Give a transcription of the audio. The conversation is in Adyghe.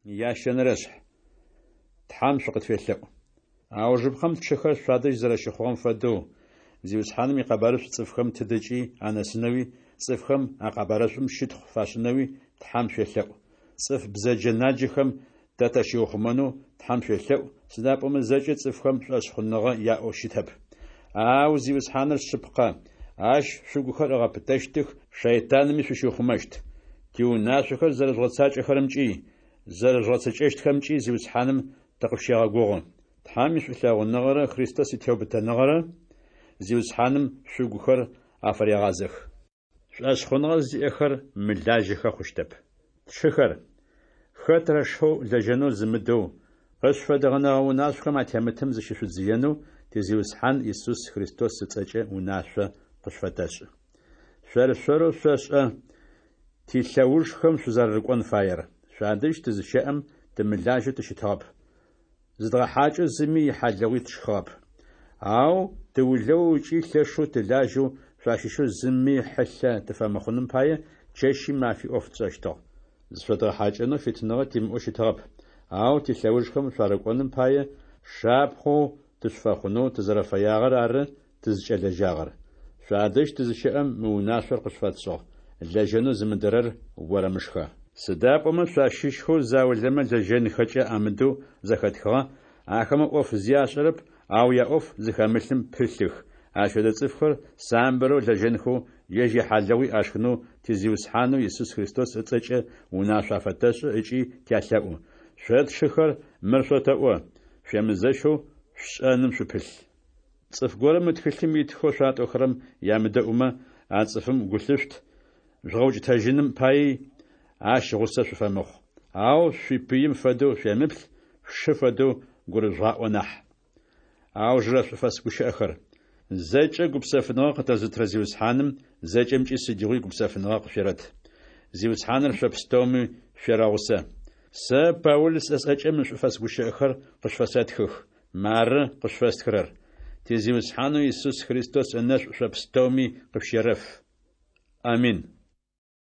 Ящэнэрэшъхь. Тхьэм шъукъытфелъэӏу. Аужыпкъэм тшыхэр шъуадэжь зэрэщыхъугъэм фэдэу, Зиусхьаным икъэбарышӏу цӏыфхэм тыдэкӏи анэсынэуи, цӏыфхэм а къэбарышӏум щытхъу фашӏынэуи Тхьэм шъуелъэӏу. Цӏыф бзэджэ-наджэхэм тэ тащиухъумэнэу Тхьэм шъуелъэӏу, сыда пӏомэ зэкӏэ цӏыфхэм шӏошъхъуныгъэ яӏэу щытэп. Ау Зиусхьаныр шъыпкъэ, ащ шъугухэр ыгъэпытэщтых, шэйтанми шъущиухъумэщт. Тиунашъохэр зэрэжъугъэцакӏэхэрэмкӏи, зэрэжъугъэцэкӏэщтхэмкӏи Зиусхьаным тыкъышъущегъэгугъы. Тхьэм ишӏулъэгъуныгъэрэ Христос итеубытэныгъэрэ Зиусхьаным шъугухэр афырегъазэх. Шӏошъхъуныгъэ зиӏэхэр мылажьэхэ хъущтэп. Тшыхэр, хэтрэ шэу лэжьэнэу зымыдэу, къышъуфэдгъэнэгъэ унашъохэм атемытым зыщышъудзыенэу ти Зиусхьан Исус Христос ыцӏэкӏэ унашъо къышъуфэтэшӏы. Шъор-шъорэу шъошӏэ тилъэужхэм шъузэрэрыкӏон фаер. Шъуадэжь тызыщэӏэм тымылажьэу тыщытыгъэп. Зыдгъэхьакӏэу зыми ихьалыгъуи тшхыгъэп. Ау тыулэоу ыкӏи лъэшэу тылажьэу шъуащыщэу зыми хьылъэ тыфэмыхъуным пае чэщи мафи ӏоф тшӏэщтыгъ. Зышъодгъэхьакӏэнэу фитыныгъэ тимыӏэу щытыгъэп, ау тилъэужхэм шъуарыкӏоным пае, шапхъэу тышъуфэхъунэу тызэрэфэягъэр ары тызкӏэлэжьагъэр. Шъуадэжь тызыщэӏэм мы унашъор къышъуфэтшӏыгъ: Лэжьэнэу зымыдэрэр орэмышхэ. Сыда пӏомэ шъуащыщхэу заулэмэ лэжьэнхэкӏэ амыдэу зэхэтхыгъэ, ахэмэ ӏоф зи ашӏэрэп, ау яӏоф зыхэмылъым пылъых. Ащ фэдэ цӏыфхэр самбырэу лэжьэнхэу, ежь яхьалыгъуи ашхынэу ти Зиусхьанэу Исус Христос ыцӏэкӏэ унашъо афэтэшӏы ыкӏи тялъэӏу. Шъо тшыхэр, мыр шъотэӏо: шъуемызэщэу шъушӏэным шъупылъ. Цӏыф горэм мы тхылъым итхэу шъуатӏохэрэм ямыдэӏумэ, а цӏыфым гу лъышъут, жъугъэукӏытэжьыным паий ащ гъусэ шъуфэмыхъу. Ау шъуипыим фэдэу шъуемыплъ, шъушы фэдэу гурыжъугъаӏо нахь. Аужырэ шӏуфэс гущыӏэхэр. Зэкӏэ гупсэфыныгъэ къытэзытырэ Зиусхьаным зэкӏэмкӏи сыдигъуи гупсэфыныгъэ къышъуерэт. Зиусхьаныр шъо пстэуми шъуерэгъусэ. Сэ, Паул, сӏэ сӏэкӏэ мы шӏуфэс гущыӏэхэр къышъуфэсэтхых. Мары къышъуфэстхырэр. Ти Зиусхьанэу Исус Христос ынэшӏу шъо пстэуми къышъущерэф. Амин.